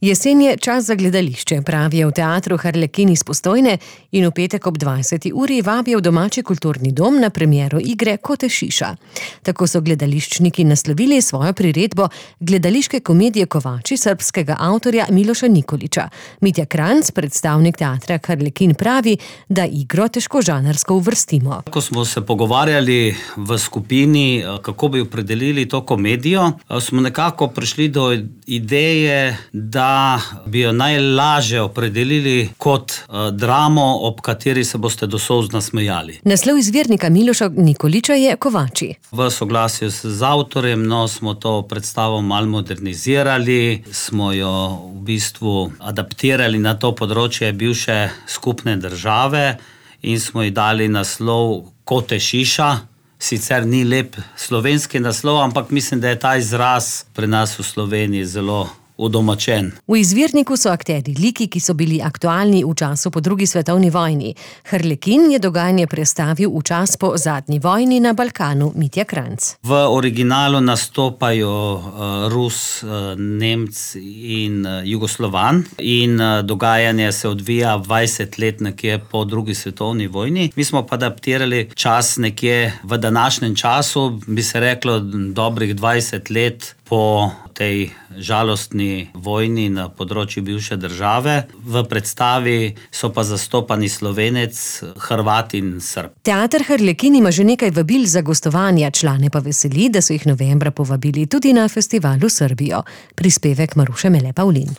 Jesen je čas za gledališče, pravijo v teatru Harlekin iz Postojne in v petek ob 20. uri vabijo v domači kulturni dom na premiero igre Kote Šiša. Tako so gledališčniki naslovili svojo priredbo gledališke komedije Kovači srbskega avtorja Miloša Nikolića. Mitja Kranjc, predstavnik teatra Harlekin, pravi, da igro težko žanrsko uvrstimo. Ko smo se pogovarjali v skupini, kako bi opredelili to komedijo, smo nekako prišli do ideje, da bi jo najlažje opredelili kot dramo, ob kateri se boste do solz nasmejali. Naslov izvirnika Miloša Nikolića je Kovači. V soglasju z avtorjem smo to predstavo malo modernizirali, smo jo v bistvu adaptirali na to področje bivše skupne države in smo ji dali naslov Kote Šiša. Sicer ni lep slovenski naslov, ampak mislim, da je ta izraz pri nas v Sloveniji zelo udomačen. V izvirniku so akteri liki, ki so bili aktualni v času po drugi svetovni vojni. Harlekin je dogajanje prestavil v čas po zadnji vojni na Balkanu. Mitja Kranjc. V originalu nastopajo Rus, Nemc in Jugoslovan in dogajanje se odvija 20 let nekje po drugi svetovni vojni. Mi smo pa adaptirali čas nekje v današnjem času, bi se reklo dobrih 20 let po tej žalostni vojni na področju bivše države. V predstavi so pa zastopani Slovenec, Hrvat in Srb. Teater Harlekin ima že nekaj vabil za gostovanja, člane pa veseli, da so jih novembra povabili tudi na festivalu Srbijo. Prispevek Maruše Mele Pavlin.